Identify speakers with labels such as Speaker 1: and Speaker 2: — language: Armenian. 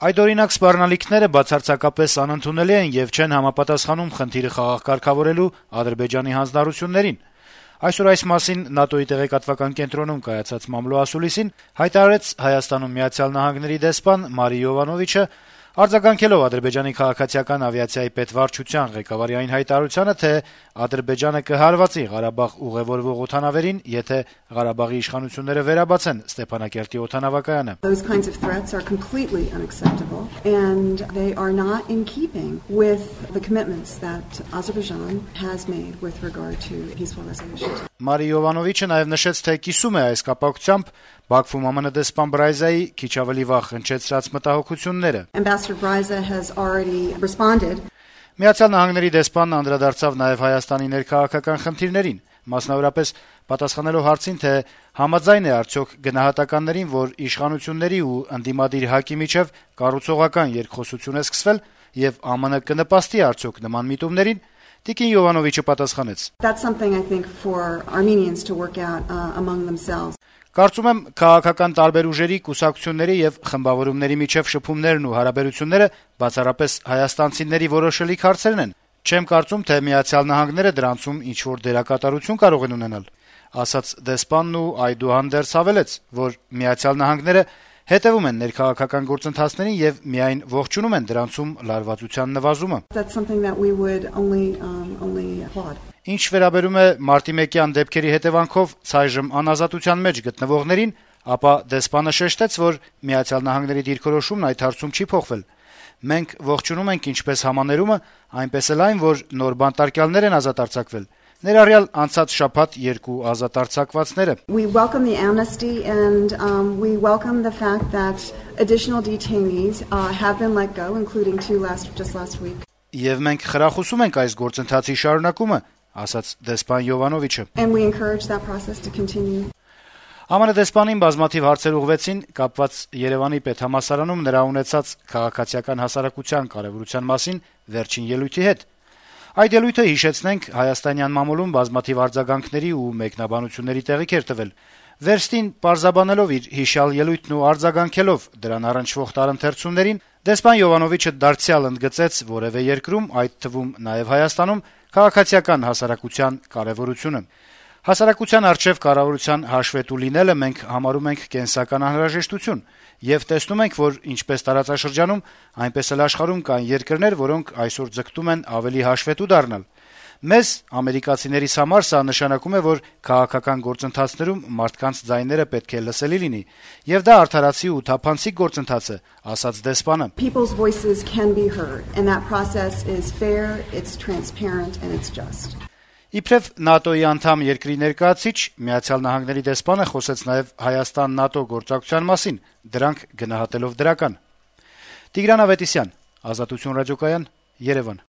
Speaker 1: Այդօրինակ սպառնալիքները բացարձակապես անընդունելի են եւ չեն համապատասխանում խնդիրը խաղաղ կարգավորելու Ադրբեջանի հանձնառություններին։ Այսօր այս մասին ՆԱՏՕ-ի տեղեկատվական կենտրոնում կայացած մամլո-ասուլիսին հայտարարեց Հայաստանում Միացյալ Նահանգների դեսպան Մարի Յովանովիչը, արձագանքելով Ադրբեջանի քաղաքացիական ավիացիայի պետվարչության ղեկավարի այն հայտարարությանը, թե Ադրբեջանը կհարվածի Ղարաբաղ ուղևորվող օդանավերին, եթե Ղարաբաղի իշխանությունները վերաբացեն Ստեփանակերտի օդանավակայանը։
Speaker 2: Those kinds of threats are completely unacceptable and they are not in keeping with the commitments that Azerbaijan has made with regard to peaceful resolution.
Speaker 1: Մարի Յովանովիչը նաև նշեց, թե կիսում է այս կապակցությամբ Բաքվում ԱՄՆ դեսպան Բրայզայի քիչ ավելի վաղ հնչեցրած մտահոգությունները։
Speaker 2: Ambassador Braiza has already responded.
Speaker 1: Միացյալ Նահանգների դեսպանն անդրադարձավ նաև Հայաստանի ներքաղաքական խնդիրներին, մասնավորապես պատասխանելով հարցին, թե համաձայն է արդյոք գնահատականներին, որ իշխանությունների ու ընդդիմադիր ՀԱԿ-ի միջև կառուցողական երկխոսություն է սկսվել եւ ԱՄՆ կնպաստի արդյոք նման միտումներին, Տիկին Յովանովիչը պատասխանեց.
Speaker 2: That's something I think for Armenians to work out among themselves.
Speaker 1: Կարծում եմ քաղաքական տարբեր ուժերի, կուսակցությունների եւ խմբավորումների միջև շփումներն ու հարաբերությունները բացառապես հայաստանցիների որոշելիք հարցերն են։ Չեմ կարծում, թե Միացյալ Նահանգները դրանցում ինչ-որ դերակատարություն կարող են ունենալ, ասաց դեսպանն ու այդուհանդերձ հավելեց, որ Միացյալ Նահանգները հետևում են ներքաղաքական գործընթացներին եւ միայն ողջունում են դրանցում լարվածության նվազումը։
Speaker 2: That's something that we would only applaud.
Speaker 1: Ինչ վերաբերում է մարտի 1-յան դեպքերի հետևանքով ցայժմ անազատության մեջ գտնվողներին, ապա դեսպանը շեշտեց, որ Միացյալ Նահանգների դիրքորոշումն այդ հարցում չի փոխվել։ Մենք ողջունում ենք ինչպես համաներումը, այնպես էլ այն, որ նոր բանտարկյալներ են ազատ արձակվել, ներառյալ անցած շաբաթ 2 ազատ արձակվածները։
Speaker 2: We welcome the amnesty and we welcome the fact that additional detainees have been let go, including 2 just last week.
Speaker 1: Եվ մենք խրախուսում ենք այս գործընթացի շարունակումը, ասաց դեսպան Յովանովիչը։
Speaker 2: And we encourage that process to continue.
Speaker 1: ԱՄՆ դեսպանին բազմաթիվ հարցեր ուղղվեցին կապված Երևանի պետհամալսարանում նրա ունեցած քաղաքացիական հասարակության կարեւորության մասին վերջին ելույթի հետ։ Այդ ելույթը, հիշեցնենք, հայաստանյան մամուլում բազմաթիվ արձագանքների ու մեկնաբանությունների տեղիք էր տվել։ Վերստին պարզաբանելով իր հիշյալ ելույթն ու արձագանքելով դրան առնչվող տարընթերցումներին, դեսպան Յովանովիչը դարձյալ ընդգծեց որևէ երկրում, այդ թվում նաև Հայաստանում, քաղաքացիական հասարակության կարեւորությունը։ Հասարակության արչեւ կառավարության հաշվետու լինելը մենք համարում ենք կենսական անհրաժեշտություն եւ տեսնում ենք, որ ինչպես տարածաշրջանում, այնպես էլ աշխարհում կան երկրներ, որոնք այսօր ձգտում են ավելի հաշվետու դառնալ։ Մեզ, ամերիկացիներիս համար, սա նշանակում է, որ քաղաքական գործընթացներում մարդկանց ձայները պետք է լսելի լինի, եւ դա արդարացի ու թափանցիկ գործընթաց է, ասաց դեսպանը։
Speaker 2: People's voices can be heard and that process is fair, it's transparent and it's just.
Speaker 1: Իբրև ՆԱՏՕ-ի անդամ երկրի ներկայացիչ Միացյալ Նահանգների դեսպանը խոսեց նաև Հայաստան-ՆԱՏՕ գործակցության մասին, դրանք գնահատելով դրական։ Տիգրան Ավետիսյան, Ազատություն ռադիոկայան, Երևան։